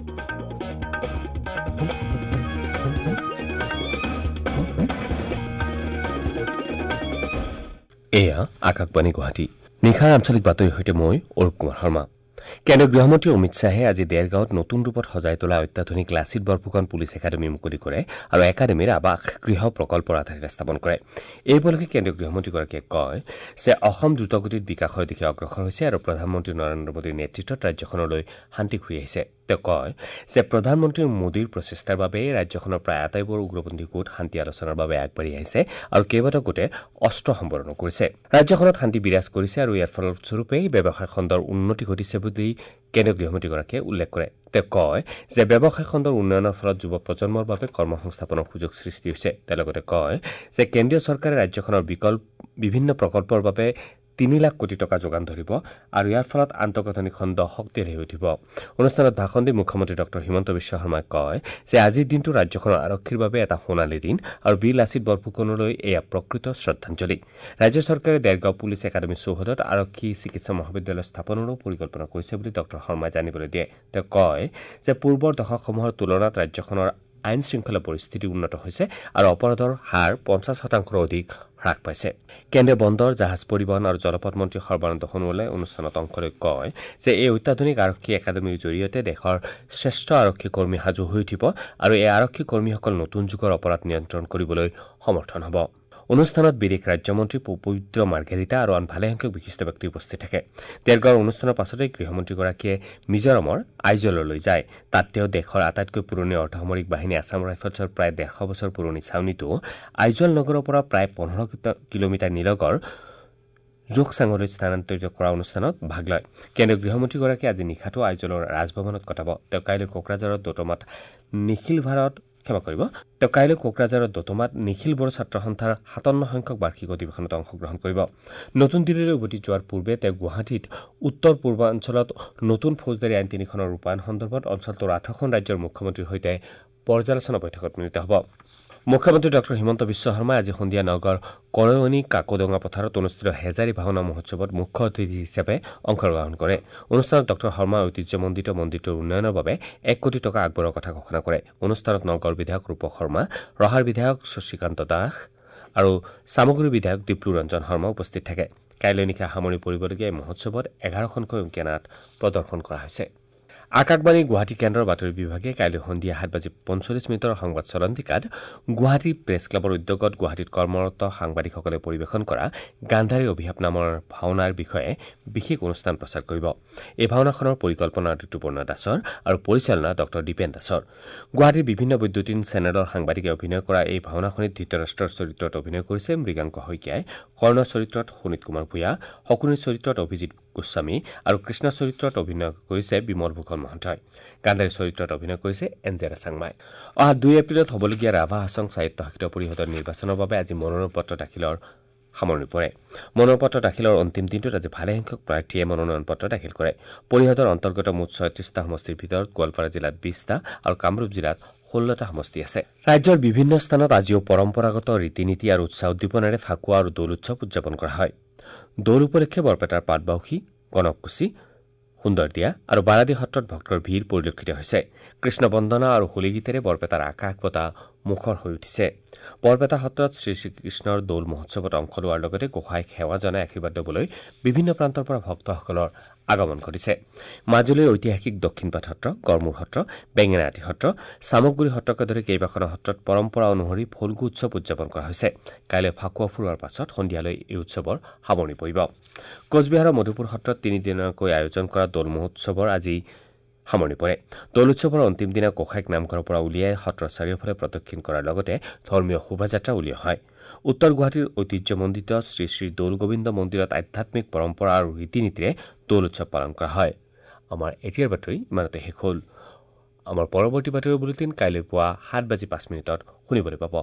এয়া আকাশবাণী গুৱাহাটী। নিশাৰ আঞ্চলিক বাতৰিৰ সৈতে মই অৰূপ কুমাৰ শৰ্মা। কেন্দ্ৰীয় গৃহমন্ত্ৰী অমিত শ্বাহে আজি দেৰগাঁৱত নতুন ৰূপত সজাই তোলা অত্যাধুনিক লাচিত বৰফুকন পুলিচ একাডেমী মুকলি কৰে আৰু একাডেমীৰ আৱাস গৃহ প্ৰকল্পৰ আধাৰশিলা স্থাপন কৰে। এই উপলক্ষে কেন্দ্ৰীয় গৃহমন্ত্ৰীগৰাকীয়ে কয় যে অসম দ্ৰুতগতিত বিকাশৰ দিশে অগ্ৰসৰ হৈছে আৰু প্ৰধানমন্ত্ৰী নৰেন্দ্ৰ মোদীৰ নেতৃত্বত ৰাজ্যখনলৈ শান্তি ঘূৰি আহিছে। তেওঁ কয় যে প্ৰধানমন্ত্ৰী মোদীৰ প্ৰচেষ্টাৰ বাবেই ৰাজ্যখনৰ প্ৰায় আটাইবোৰ উগ্ৰপন্থী গোট শান্তি আলোচনাৰ বাবে আগবাঢ়ি আহিছে আৰু কেইবাটাও গোটে অস্ত্ৰ সম্বৰণো কৰিছে। ৰাজ্যখনত শান্তি বিৰাজ কৰিছে আৰু ইয়াৰ ফলস্বৰূপেই ব্যৱসায় খণ্ডৰ উন্নতি ঘটিছে বুলি কেন্দ্ৰীয় গৃহমন্ত্ৰীগৰাকীয়ে উল্লেখ কৰে। তেওঁ কয় যে ব্যৱসায় খণ্ডৰ উন্নয়নৰ ফলত যুৱ প্ৰজন্মৰ বাবে কৰ্মসংস্থাপনৰ সুযোগ সৃষ্টি হৈছে। তেওঁ লগতে কয় যে কেন্দ্ৰীয় চৰকাৰে ৰাজ্যখনৰ বিভিন্ন প্ৰকল্পৰ বাবে 3 লাখ কোটি টকা যোগান ধৰিব আৰু ইয়াৰ ফলত আন্তঃগাঁথনি খণ্ড শক্তিশালী হৈ উঠিব। অনুষ্ঠানত ভাষণ দি মুখ্যমন্ত্ৰী ডঃ হিমন্ত বিশ্ব শৰ্মাই কয় যে আজিৰ দিনটো ৰাজ্যখনৰ আৰক্ষীৰ বাবে এটা সোণালী দিন আৰু বীৰ লাচিত বৰফুকনলৈ এয়া প্ৰকৃত শ্ৰদ্ধাঞ্জলি। ৰাজ্য চৰকাৰে দেৰগাঁও পুলিচ একাডেমী চৌহদত আৰক্ষী চিকিৎসা মহাবিদ্যালয় স্থাপনৰো পৰিকল্পনা কৰিছে বুলি ডঃ শৰ্মাই জানিবলৈ দিয়ে। তেওঁ কয় যে পূৰ্বৰ দশকসমূহৰ তুলনাত ৰাজ্যখনৰ আইন শৃংখলা পৰিস্থিতি উন্নত হৈছে আৰু অপৰাধৰ হাৰ 50%ৰো অধিক হ্ৰাস পাইছে। কেন্দ্ৰীয় বন্দৰ, জাহাজ পৰিবহণ আৰু জলপথ মন্ত্ৰী সৰ্বানন্দ সোণোৱালে অনুষ্ঠানত অংশ লৈ কয় যে এই অত্যাধুনিক আৰক্ষী একাডেমীৰ জৰিয়তে দেশৰ শ্ৰেষ্ঠ আৰক্ষী কৰ্মী সাজু হৈ উঠিব আৰু এই আৰক্ষী কৰ্মীসকল নতুন যুগৰ অপৰাধ নিয়ন্ত্ৰণ কৰিবলৈ সমৰ্থন হ'ব। অনুষ্ঠানত বিদেশ ৰাজ্যমন্ত্ৰী পবিত্ৰ মাৰ্ঘেৰিটা আৰু আন ভালেসংখ্যক বিশিষ্ট ব্যক্তি উপস্থিত থাকে। দেৰগাঁৱৰ অনুষ্ঠানৰ পাছতে গৃহমন্ত্ৰীগৰাকীয়ে মিজোৰামৰ আইজললৈ যায়। তাত তেওঁ দেশৰ আটাইতকৈ পুৰণি অৰ্ধসামৰিক বাহিনী আছাম ৰাইফলছৰ প্ৰায় 150 বছৰ পুৰণি ছাউনীটো আইজল নগৰৰ পৰা প্ৰায় 15 কিলোমিটাৰ নিলগৰ জোকচাঙলৈ স্থানান্তৰিত কৰা অনুষ্ঠানত ভাগ লয়। কেন্দ্ৰীয় গৃহমন্ত্ৰীগৰাকীয়ে আজি নিশাটো আইজলৰ ৰাজভৱনত কটাব। তেওঁ কাইলৈ কোকৰাঝাৰৰ দোতমাত নিখিল ভাৰত ক্ষমা কৰিব। তেওঁ কাইলৈ কোকৰাঝাৰৰ দোতমাত নিখিল বড়ো ছাত্ৰ সন্থাৰ 57 সংখ্যক বাৰ্ষিক অধিৱেশনত অংশগ্ৰহণ কৰিব। নতুন দিল্লীলৈ উভতি যোৱাৰ পূৰ্বে তেওঁ গুৱাহাটীত উত্তৰ পূৰ্বাঞ্চলত নতুন ফৌজদাৰী আইন 3খনৰ ৰূপায়ণ সন্দৰ্ভত অঞ্চলটোৰ 8খন ৰাজ্যৰ মুখ্যমন্ত্ৰীৰ সৈতে পৰ্যালোচনা বৈঠকত মিলিত হ'ব। মুখ্যমন্ত্ৰী ডঃ হিমন্ত বিশ্ব শৰ্মাই আজি সন্ধিয়া নগৰ কৰয়নী কাকডোঙা পথাৰত অনুষ্ঠিত হেজাৰী ভাওনা মহোৎসৱত মুখ্য অতিথি হিচাপে অংশগ্ৰহণ কৰে। অনুষ্ঠানত ডঃ শৰ্মাই ঐতিহ্যমণ্ডিত মন্দিৰটোৰ উন্নয়নৰ বাবে 1 কোটি টকা আগবঢ়োৱাৰ কথা ঘোষণা কৰে। অনুষ্ঠানত নগৰ বিধায়ক ৰূপক শৰ্মা, ৰহাৰ বিধায়ক শশীকান্ত দাস আৰু চামগুৰিৰ বিধায়ক দীপ্লু ৰঞ্জন শৰ্মা উপস্থিত থাকে। কাইলৈ নিশা সামৰণি পৰিবলগীয়া এই মহোৎসৱত 11খনকৈ অংকীয়া নাট প্ৰদৰ্শন কৰা হৈছে। আকাশবাণী গুৱাহাটী কেন্দ্ৰৰ বাতৰি বিভাগে কাইলৈ সন্ধিয়া 7:45 সংবাদ চলন্তিকাত গুৱাহাটী প্ৰেছ ক্লাবৰ উদ্যোগত গুৱাহাটীত কৰ্মৰত সাংবাদিকসকলে পৰিৱেশন কৰা গান্ধাৰীৰ অভিশাপ নামৰ ভাওনাৰ বিষয়ে বিশেষ অনুষ্ঠান প্ৰচাৰ কৰিব। এই ভাওনাখনৰ পৰিকল্পনা ঋতুপৰ্ণা দাসৰ আৰু পৰিচালনা ডঃ দীপেন দাসৰ। গুৱাহাটীৰ বিভিন্ন বৈদ্যুতিন চেনেলৰ সাংবাদিকে অভিনয় কৰা এই ভাওনাখনিত ধৃতৰাষ্ট্ৰৰ চৰিত্ৰত অভিনয় কৰিছে মৃগাংক শইকীয়াই, কৰ্ণ চৰিত্ৰত শোণিত কুমাৰ ভূঞা, শকুনিৰ চৰিত্ৰত অভিজিত গোস্বামী আৰু কৃষ্ণ চৰিত্ৰত অভিনয় কৰিছে বিমল ভূষণ মহন্তই। গান্ধাৰী চৰিত্ৰত অভিনয় কৰিছে এঞ্জেলা চাংমাই। অহা 2 এপ্ৰিলত হ'বলগীয়া ৰাভা হাছং স্বায়ত্তশাসিত পৰিষদৰ নিৰ্বাচনৰ বাবে আজি মনোনয়ন পত্ৰ দাখিলৰ সামৰণি পৰে। মনোনয়ন পত্ৰ দাখিলৰ অন্তিম দিনটোত আজি ভালেসংখ্যক প্ৰাৰ্থীয়ে মনোনয়ন পত্ৰ দাখিল কৰে। পৰিষদৰ অন্তৰ্গত মুঠ 36টা সমষ্টিৰ ভিতৰত গোৱালপাৰা জিলাত 20টা আৰু কামৰূপ জিলাত 16টা সমষ্টি আছে। ৰাজ্যৰ বিভিন্ন স্থানত আজিও পৰম্পৰাগত ৰীতি নীতি আৰু উৎসাহ উদ্দীপনাৰে ফাকুৱা আৰু দৌল উৎসৱ উদযাপন কৰা হয়। দৌল উপলক্ষে বৰপেটাৰ পাটবাউসী, গণককুচি, সুন্দৰদিয়া আৰু বাৰাদী সত্ৰত ভক্তৰ ভিৰ পৰিলক্ষিত হৈছে। কৃষ্ণ বন্দনা আৰু হোলীগীতেৰে বৰপেটাৰ আকাশ বতাহ মুখৰ হৈ উঠিছে। বৰপেটা সত্ৰত শ্ৰী শ্ৰীকৃষ্ণৰ দৌল মহোৎসৱত অংশ লোৱাৰ লগতে গোসাঁইক সেৱা জনাই আশীৰ্বাদ ল'বলৈ বিভিন্ন প্ৰান্তৰ পৰা ভক্তসকলৰ আগমন ঘটিছে। মাজুলীৰ ঐতিহাসিক দক্ষিণপাট সত্ৰ, গড়মূৰ সত্ৰ, বেঙেনাআটী সত্ৰ, চামগুৰি সত্ৰকে ধৰি কেইবাখনো সত্ৰত পৰম্পৰা অনুসৰি ফল্গু উৎসৱ উদযাপন কৰা হৈছে। কাইলৈ ফাকুৱা ফুৰোৱাৰ পাছত সন্ধিয়ালৈ এই উৎসৱৰ সামৰণি পৰিব। কোচবিহাৰৰ মধুপুৰ সত্ৰত তিনিদিনীয়াকৈ আয়োজন কৰা দৌল মহোৎসৱৰ আজি সামৰণি পৰে। দৌল উৎসৱৰ অন্তিম দিনা গোসাঁইক নামঘৰৰ পৰা উলিয়াই সত্ৰৰ চাৰিওফালে প্ৰদক্ষিণ কৰাৰ লগতে ধৰ্মীয় শোভাযাত্ৰা উলিওৱা হয়। উত্তৰ গুৱাহাটীৰ ঐতিহ্যমণ্ডিত শ্ৰী শ্ৰী দৌল গোবিন্দ মন্দিৰত আধ্যাত্মিক পৰম্পৰা আৰু ৰীতি নীতিৰে দৌল উৎসৱ পালন কৰা হয়। আমাৰ এতিয়াৰ বাতৰি ইমানতে শেষ হ'ল। আমাৰ পৰৱৰ্তী বাতৰি বুলেটিন কাইলৈ পুৱা 7:05 শুনিবলৈ পাব।